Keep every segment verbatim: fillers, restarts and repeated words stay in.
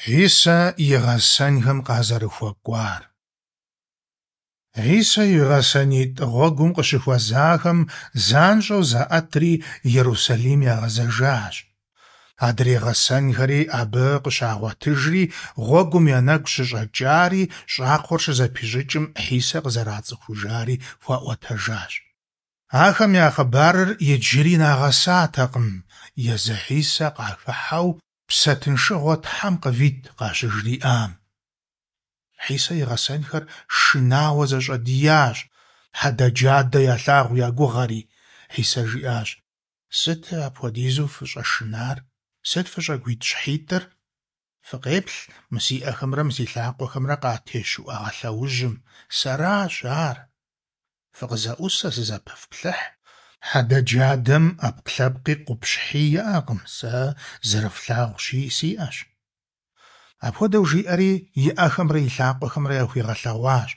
Хьисэ и гъэсэнхэм къазэрыхуэкӀуар. Хьисэ и гъэсэнитӀ гъуэгум къыщыхуэзахэм занщӀэу заӀэтри Ерусалим ягъэзэжащ. Адрей гъэсэнхэри абы къыщагъуэтыжри, гъуэгум я нэгу щыщӀэкӀари, щӀакхъуэр щызэпищӀыкӀым Хьисэ къызэрацӀыхужари хуаӀуэтэжащ. Ахэм я хъыбарыр иджыри нагъэсатэкъым, езы Хьисэ къахыхьэу «Псэ тыншыгъуэ Тхьэм къывит» къащыжриӀам. Хьисэ и гъэсэнхэр шынауэ зэщӀэдиящ, хьэдэджадэ ялъагъу я гугъэри. Хьисэ жиӀащ: «Сыт апхуэдизу фыщӀэшынар? Сыт фыщӀэгуитӀщхьитӀыр? Фыкъеплъ мы си Ӏэхэмрэ мы си лъакъуэхэмрэ къатещ уӏэгъэ лъэужьым. Сэращ ар! ФыкъызэӀусэ, сызэпэфплъыхь. Хьэдэджадэм Ӏэпкълъэпкъи къупщхьи иӀэкъым, сэ зэрыфлъагъущи, сиӀэщ». Апхуэдэу жиӀэри, и Ӏэхэмрэ и лъакъуэхэмрэ яхуигъэлъэгъуащ.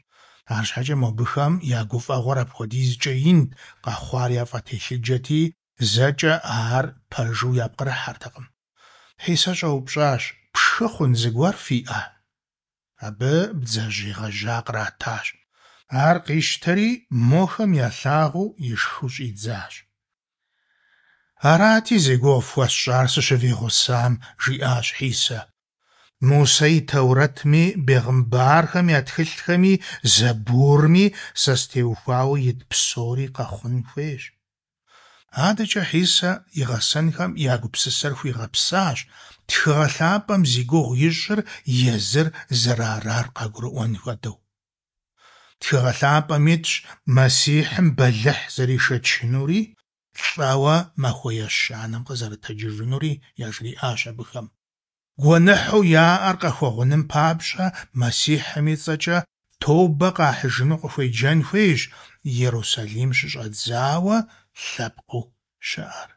АрщхьэкӀэ мобыхэм я гуфӀэгъуэр апхуэдизкӀэ инт, къэхъуар яфӀэтелъыджэти, зэкӀэ ар пэжу япкърыхьэртэкъым. Хьисэ щӀэупщӀащ: «Пшхы хъун зыгуэр фиӀэ?» Абы бдзэжьей гъэжьа къратащ. Ар къищтэри, мохэм ялъагъуу ишхыу щӀидзащ. «Арати, зи гугъу фхуэсщӀар сыщывигъусам, – жиӀащ Хьисэ. – Мусэ и Тэурэтми, бегъымбархэм я тхылъхэми, Зэбурми сэ стеухуауэ ит псори къэхъун хуейщ». АдэкӀэ Хьисэ и гъэсэнхэм я гупсысэр хуигъэпсащ, Тхыгъэ лъапӀэм зи гугъу ищӀыр езыр зэрыарар къагурыӀуэн хуэдэу. Тхыгъэ лъапӀэм итщ Мэссихьым бэлыхь зэришэчынури, лӀэуэ махуэ ещанэм къызэрытэджыжынури, яжриӀащ абыхэм. Гуэныхьу яӀэр къахуэгъуным папщӀэ Мэссихьым и цӀэкӀэ тобэ къахьыжыну къыхуеджэн хуейщ Ерусалим щыщӀэдзауэ лъэпкъыу щыӀэр.